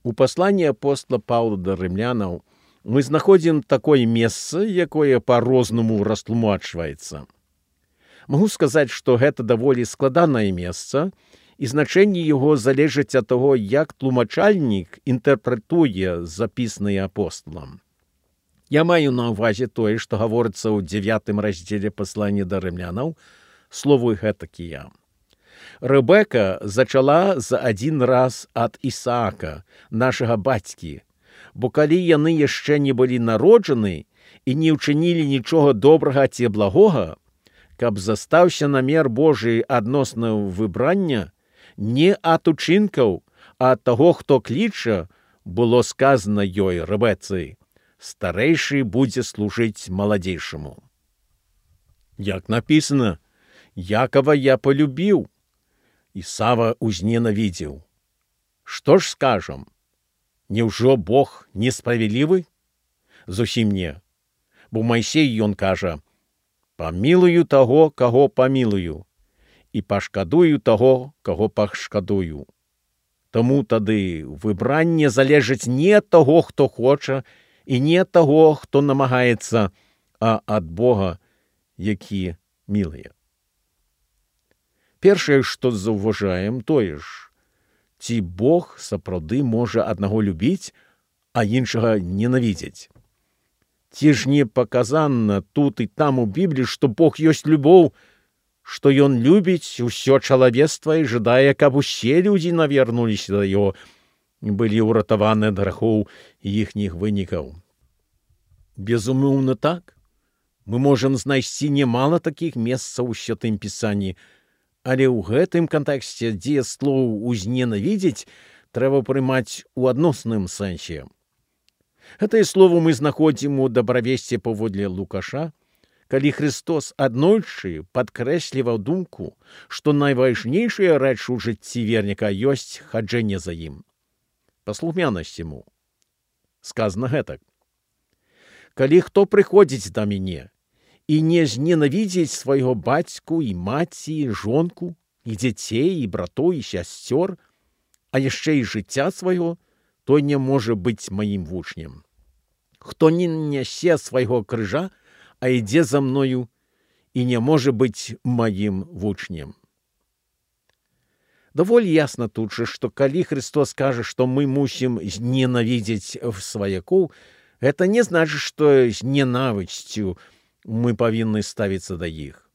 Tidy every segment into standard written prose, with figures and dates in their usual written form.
У пасланні апостола Паўла да рымлянаў мы знаходзім такое месца, якое па-рознаму растлумачваецца. Магу сказаць, што гэта даволі складанае месца, і значэнне яго залежыць ад таго, як тлумачальнік інтэрпрэтуе запіснае апосталам. Я маю на ўвазе тое, што гаворыцца ў 9 раздзеле паслання да рымлянаў, словы гэтакія. Рэбека зачала за адзін раз ад Ісаака, нашага бацькі, бо калі яны яшчэ не былі народжаны і не ўчынілі нічога добрага ці благога, каб застаўся намер Божий адносна выбрання, не ад учынкаў, а ад таго, хто кліча, было сказана ёй, Рэбецы, старэйшы будзе служыць маладзейшаму. Як напісана, Якова я полюбіў, Ісава узненавідзеў. Што ж скажам? Няўжо Бог несправядлівы? Зусім не. Бо Майсей ён кажа, памілую таго, каго памілую, і пашкадую таго, каго пашкадую. Таму тады выбранне залежыць не ад таго, хто хоча, і не ад таго, хто намагаецца, а ад Бога, які мілыя. Першае, што заўважаем, тое ж, ці Бог сапраўды можа аднаго любіць, а іншага ненавідзець. Ці ж не паказана тут і там у Бібліі, што Бог ёсць любоў, што Ён любіць усё чалавецтва і жадае, каб усе людзі навярнуліся да Яго, былі ўратаваны ад грахоў іхніх вынікаў. Безумоўна так. Мы можам знайсці немала такіх месцаў у Святым Пісанні, але ў гэтым кантэксце, дзе слоў «узненавідзець» трэба прымаць у адносным сэнсе. Гэтае слово мы знаходзім у дабравесці паводле Лукаша, калі Христос аднойчы падкрэсліваў думку, што найважнейшая рэч у жыцці верніка ёсць хаджэнне за ім. Паслухмянасць яму. Сказана гэтак. Калі хто прыходзіць да мяне, і не зненавідзець свайго бацьку і маці, і жонку, і дзяцей, і братоў, і сясцёр, а яшчэ і жыцця свайго, той не можа быць маім вучнем. Хто не нясе свайго крыжа, а ідзе за мною, і не можа быць маім вучнем. Даволі ясна тут жа, што калі Христос кажа, што мы мусім зненавідзець сваякоў, гэта не значыць, што з ненавісцю мы павінны ставіцца да іх.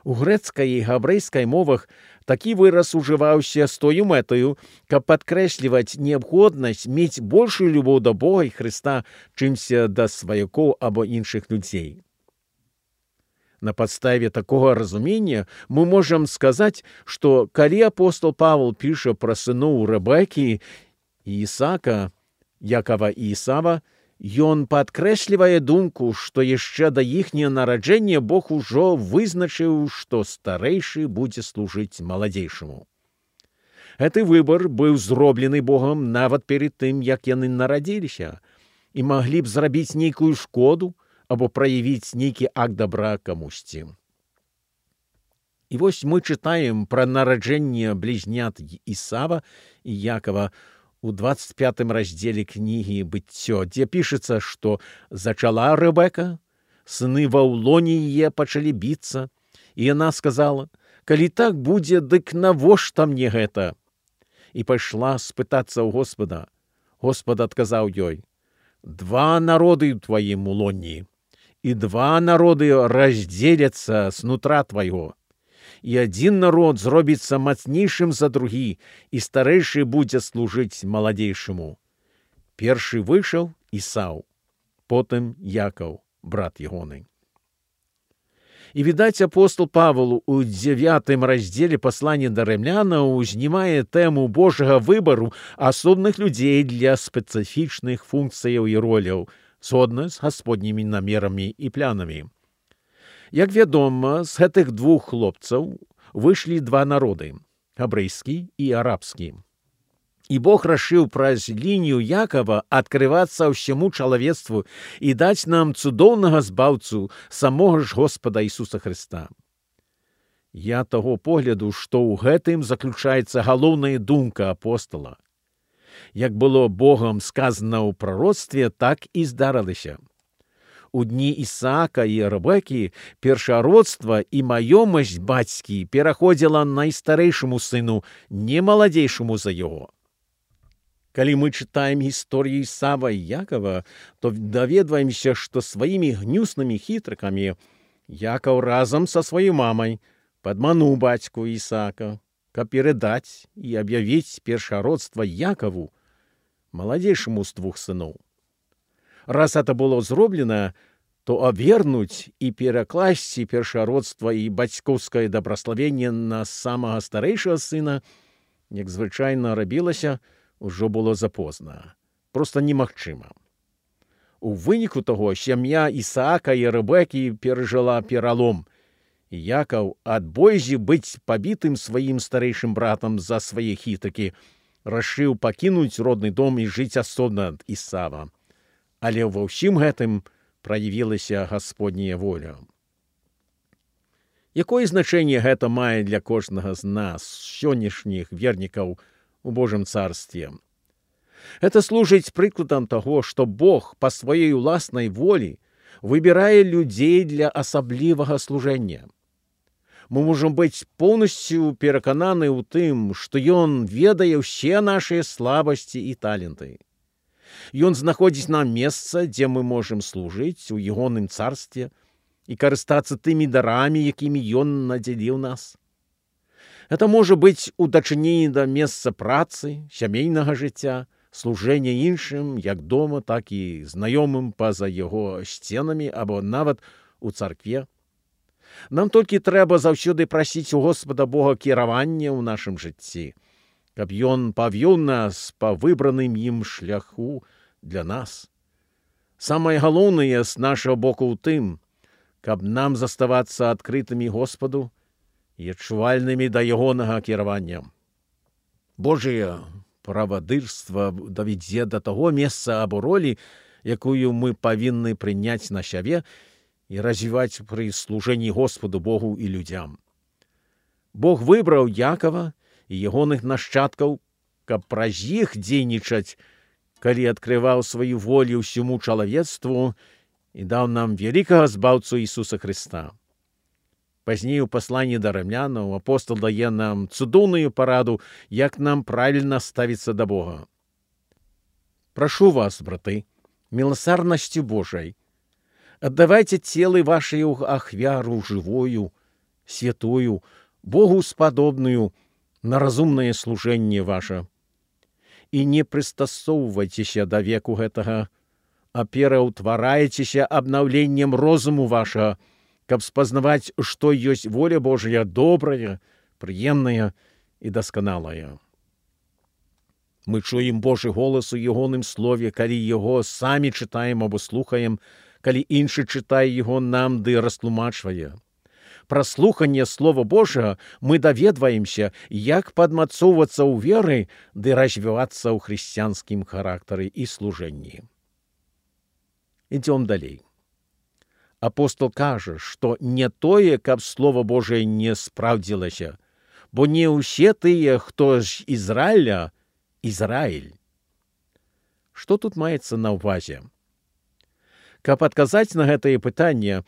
У грэцкай і габрэйскай мовах такі выраз ужываўся з тою мэтаю, каб падкрэсліваць неабходнасць мець большую любоў да Бога і Хрыста, чымся да сваякоў або іншых людзей. На падставе такога разумення мы можам сказаць, што калі апостол Павел піша пра сыноў Рэбекі і Ісаака, Якова і Ісава, ён падкрэслівае думку, што яшчэ да іхняга нараджэння Бог ужо вызначыў, што старэйшы будзе служыць маладзейшаму. Гэты выбар быў зроблены Богам нават перад тым, як яны нарадзіліся, і маглі б зрабіць нейкую шкоду або праявіць нейкі акт дабра камусьці. І вось мы чытаем пра нараджэнне блізнят Ісава і Якова у 25 раздзеле кнігі «Быццё», дзе пішацца, што зачала Рэбека, сыны Ваўлоні яе пачалі біцца, і яна сказала, калі так будзе, дык навошта мне гэта? І пайшла спытацца ў Господа. Господ адказаў ёй, 2 народы ў тваім лоні, і 2 народы раздзеляцца снутра твайго. І адзін народ зробіцца мацнейшым за другі, і старэйшы будзе служыць маладзейшаму. Першы выйшаў Ісаў, потым Якаў, брат ягоны. І, відаць, апостол Павел у 9 раздзеле паслання да рымлянаў узнімае тэму Божага выбару асобных людзей для спецыфічных функцыяў і роляў, згодна з гасподнімі намерамі і планамі. Як вядома, з гэтых 2 хлопцаў выйшлі 2 народы – габрэйскі і арабскі. І Бог рашыў праз лінію Якова адкрывацца ўсяму чалавецтву і даць нам цудоўнага збаўцу, самога ж Господа Ісуса Хрыста. Я таго погляду, што ў гэтым заключаецца галоўная думка апостола. Як было Богом сказано ў прароцтве, так і здарылася. У дні Ісаака і Ребекі першародства і маёмасць бацькі пераходзіла найстарэйшаму сыну, не маладзейшаму за яго. Калі мы чытаем гісторыю Ісава і Якова, то даведваемся, што сваімі гнюснымі хітрыкамі Якаў разам са сваёй мамай падмануў бацьку Ісаака, каб перадаць і аб'явіць першародства Якаву, маладзейшаму з двух сыноў. Раз это было зроблена, то абвернуць і перакласці першародства і бацькоўскае дабраславенне на самага старэйшага сына, як звычайна рабілася, ужо было запозна. Проста немагчыма. У выніку таго сям'я Ісаака і Ребекі перажыла пералом. І Якаў ад бойзі быць пабітым сваім старэйшым братам за свае хітакі рашыў пакінуць родны дом і жыць асобна ад Ісава. Але ва ўсім гэтым праявілася Гасподняя воля. Якое значэнне гэта мае для кожнага з нас, сённяшніх вернікаў у Божым царстве? Гэта служыць прыкладам таго, што Бог па сваёй уласнай волі выбірае людзей для асаблівага служэння. Мы можам быць поўнасцю перакананы ў тым, што Ён ведае ўсе нашыя слабасці і таленты. Ён знаходзіць нам месца, дзе мы можам служыць у ягоным царстве і карыстацца тымі дарамі, якімі Ён надзяліў нас. Гэта можа быць у дачыненні да месца працы, сямейнага жыцця, служэння іншым, як дома, так і знаёмым па-за яго сценамі або нават у царкве. Нам толькі трэба заўсёды прасіць у Господа Бога кіравання ў нашым жыцці, каб Ён павёў нас па выбраным ім шляху для нас. Самае галоўнае з нашага боку ў тым, каб нам заставацца адкрытымі Господу і адчувальнымі да ягонага кіравання. Божае правадырства давядзе да таго месца або ролі, якую мы павінны прыняць на сябе і развіваць пры служэнні Господу Богу і людзям. Бог выбраў Якава і ягоных нашчадкаў, каб праз іх дзейнічаць, калі адкрываў сваю волю ўсяму чалавецтву і даў нам вялікага збаўцу Ісуса Хрыста. Пазней у пасланні да рымлянаў апостол дае нам цудоўную параду, як нам правільна ставіцца да Бога. Прашу вас, браты, міласарнасцю Божай, аддавайце целы вашай ахвяру жывую, святую, Богу спадобную, на разумнае служэнне ваша. І не прыстасоўвайцеся да веку гэтага, а пераўтварайцеся абнаўленнем розуму вашага, каб спазнаваць, што ёсць воля Божая добрая, прыемная і дасканалая. Мы чуем Божы голас у ягоным слове, калі яго самі чытаем або слухаем, калі іншы чытае яго нам ды растлумачвае. Пра слуханне Слова Божага мы даведваемся, як падмацоўвацца ў веры ды развівацца ў хрысціянскім характары і служэнні. Ідзём далей. Апостол кажа, што не тое, каб Слова Божае не спраўдзілася, бо не ўсе тыя, хто з Ізраіля, Ізраіль. Што тут маецца на ўвазе? Каб адказаць на гэтае пытанне,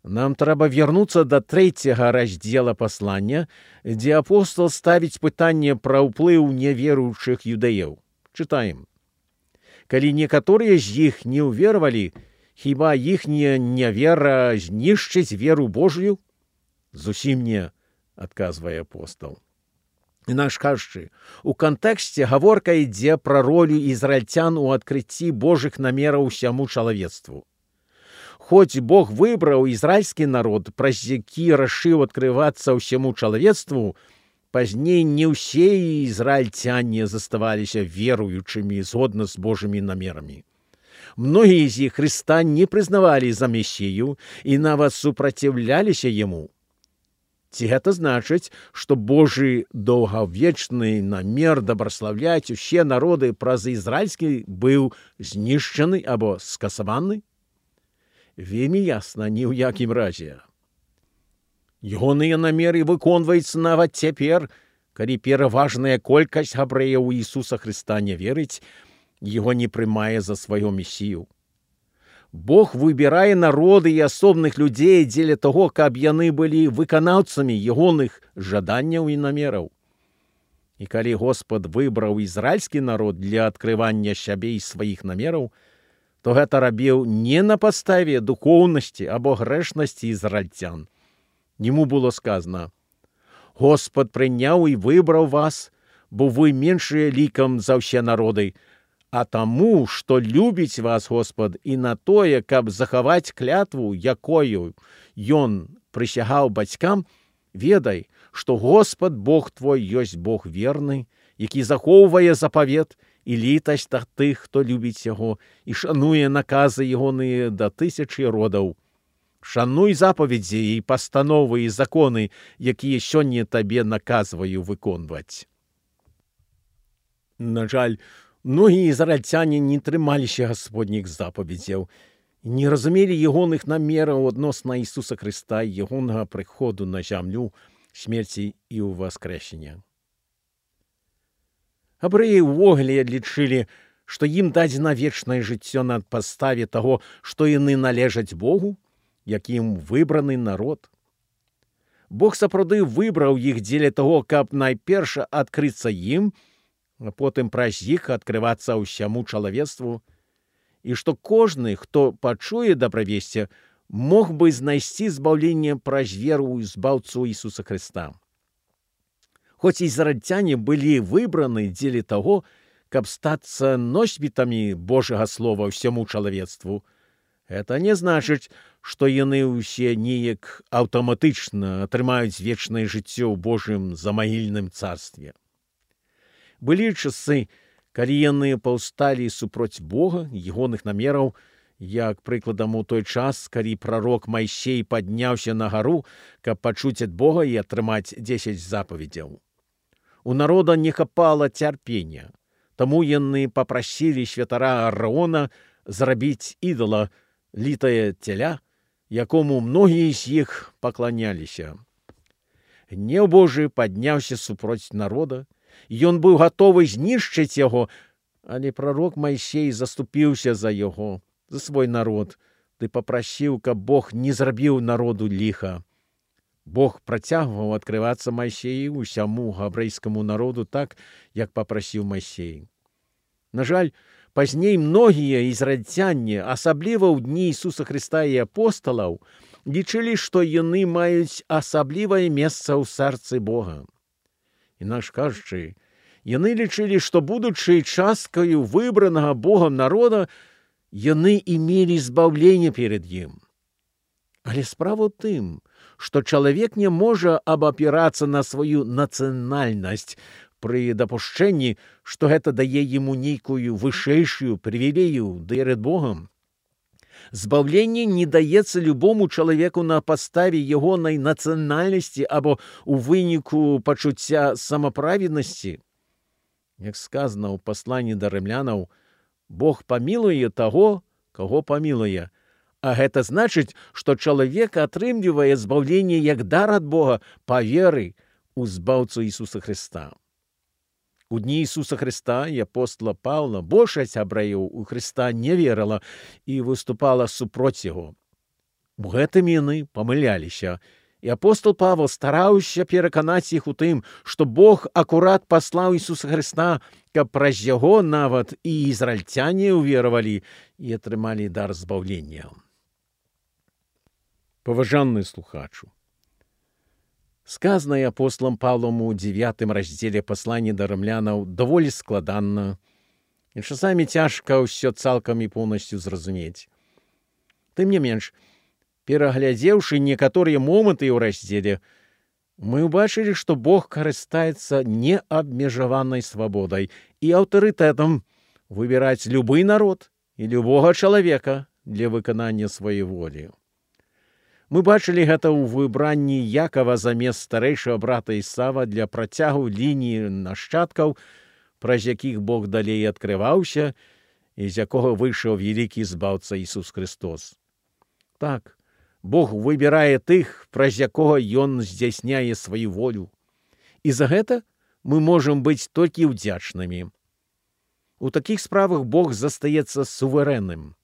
нам трэба вярнуцца да 3 раздзела паслання, дзе апостол ставіць пытанне пра ўплыў неверуючых юдэяў. Чытаем. Калі некаторыя з іх не ўверавалі, хіба іхняя нявера знішчыць веру Божую? Зусім не, адказвае апостол. Інакш кажучы, у кантэксце гаворка ідзе пра ролю ізраільцян у адкрыцці Божых намераў усяму чалавецтву. Хоць Бог выбраў ізраільскі народ, праз які рашыў адкрывацца ўсяму чалавецтву, пазней не ўсе ізраільцяне заставаліся веруючымі згодна з Божымі намерамі. Многія з іх Хрыста не прызнавалі за Месію і нават супраціўляліся яму. Ці гэта значыць, што Божы доўгавечны намер дабраслаўляць усе народы праз ізраільскі быў знішчаны або скасаваны? Вельмі ясна, ні ў якім разе. Ягоныя намеры выконваюцца нават цяпер, Калі пераважная колькасць габрэяў у Ісуса Хрыста не верыць, яго не прымае за свайго месію. Бог выбірае народы і асобных людзей дзеля таго, каб яны былі выканаўцамі ягоных жаданняў і намераў. І калі Господ выбраў ізраільскі народ для адкрывання сябе і сваіх намераў, то гэта рабіў не на падставе духоўнасці або грэшнасці ізраільцян. Яму было сказано: «Господ прыняў і выбраў вас, бо вы меншыя лікам за ўсе народы, а таму, што любіць вас Господ і на тое, каб захаваць клятву, якою ён прысягаў бацькам, ведай, што Господ Бог твой ёсць Бог верны, які захоўвае запавет і літасць да тых, хто любіць яго і шануе наказы ягоныя да тысячы родаў. Шануй запаведзі і пастановы і законы, якія сёння табе наказваю выконваць». На жаль, многія ізраільцяне не трымаліся гасподніх запаведзяў, не разумелі ягоных намераў адносна Ісуса Хрыста і ягонага прыходу на зямлю, смерці і ўваскрэсення. Габрэі ўвогуле лічылі, што ім дадзена вечнае жыццё на падставе таго, што яны належаць Богу, якім выбраны народ. Бог сапраўды выбраў іх дзеля таго, каб найперш адкрыцца ім, а потым праз іх адкрывацца ўсяму чалавецтву, і што кожны, хто пачуе дабравесце, мог бы знайсці збаўленне праз веру ў збаўцу Ісуса Хрыста. Хоць ізраільцяне былі выбраны дзеля таго, каб стацца носьбітамі Божага слова ўсяму чалавецтву, гэта не значыць, што яны ўсе неяк аўтаматычна атрымаюць вечнае жыццё ў Божым замагільным царстве. Былі часы, калі яны паўсталі супроць Бога, ягоных намераў, як прыкладам у той час, калі прарок Майсей падняўся на гару, каб пачуць ад Бога і атрымаць 10 запаведзяў. У народа не хапала цярпення, таму яны папрасілі святара Аарона зрабіць ідала, літае теля, якому многія з іх пакланяліся. Гнеў Божы падняўся супроць народа, ён быў гатовы знішчыць яго, але прарок Майсей заступіўся за яго, за свой народ, ды папрасіў, каб Бог не зрабіў народу ліха. Бог працягваў адкрывацца Майсею ўсяму габрэйскаму народу так, як папрасіў Майсей. На жаль, пазней многія ізраільцяне, асабліва ў дні Ісуса Хрыста і апосталаў, лічылі, што яны маюць асаблівае месца ў сэрцы Бога. Інакш кажучы, яны лічылі, што, будучы часткаю выбранага Богам народа, яны імелі збаўленне перад ім. Але справа ў тым, што чалавек не можа абапірацца на сваю нацыянальнасць пры дапушчэнні, што гэта дае яму нейкую вышэйшую прывілею перад Богам. Збаўленне не даецца любому чалавеку на падставе ягонай нацыянальнасці або ў выніку пачуцця самаправеднасці. Як сказано ў пасланні да рымлянаў, Бог памілуе таго, каго памілуе, а гэта значыць, што чалавек атрымлівае збаўленне як дар ад Бога па веры ў збаўцу Ісуса Хрыста. У дні Ісуса Хрыста і апостола Паўла большасць габрэяў у Хрыста не верыла і выступала супроць яго. У гэтым яны памыляліся, і апостол Павел стараўся пераканаць іх у тым, што Бог акурат паслаў Ісуса Хрыста, каб праз яго нават і ізраільцяне ўверавалі і атрымалі дар збаўлення. Паважаны слухачу, сказанае апостолам Павлом у 9 раздзеле паслання да рымлянаў даволі складанна, і часамі цяжка ўсё цалкам і поўнасцю зразумець. Тым не менш, пераглядзеўшы некаторыя моманты ў раздзеле, мы ўбачылі, што Бог карыстаецца неабмежаванай свабодай і аўтарытэтам выбіраць любы народ і любога чалавека для выканання сваёй волі. Мы бачылі гэта ў выбранні Якава замест старэйшага брата Ісава для працягу лініі нашчадкаў, праз якіх Бог далей адкрываўся і з якога выйшаў вялікі збаўца Ісус Хрыстос. Так, Бог выбірае тых, праз якога Ён здзяйсняе сваю волю. І за гэта мы можам быць толькі ўдзячнымі. У такіх справах Бог застаецца суверэнным.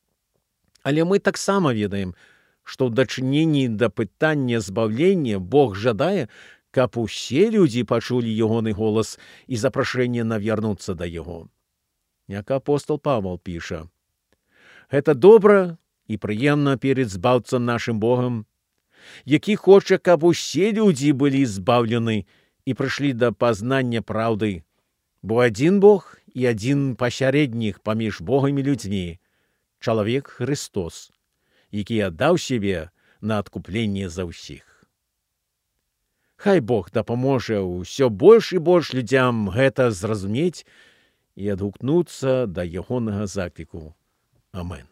Але мы таксама ведаем, што ў дачыненні да пытання збаўлення Бог жадае, каб усе людзі пачулі ягоны голас і запрашэнне навярнуцца да яго. Як апостол Павел піша: «Гэта добра і прыемна перед збаўцам нашым Богам, які хоча, каб усе людзі былі збаўлены і прыйшлі да пазнання праўды, бо адзін Бог і адзін пасярэднік паміж Богам і людзьмі, чалавек Христос, які аддаў сябе на адкупленне за ўсіх». Хай Бог дапаможа ўсё больш і больш людзям гэта зразумець і адгукнуцца да ягонага закліку. Амен.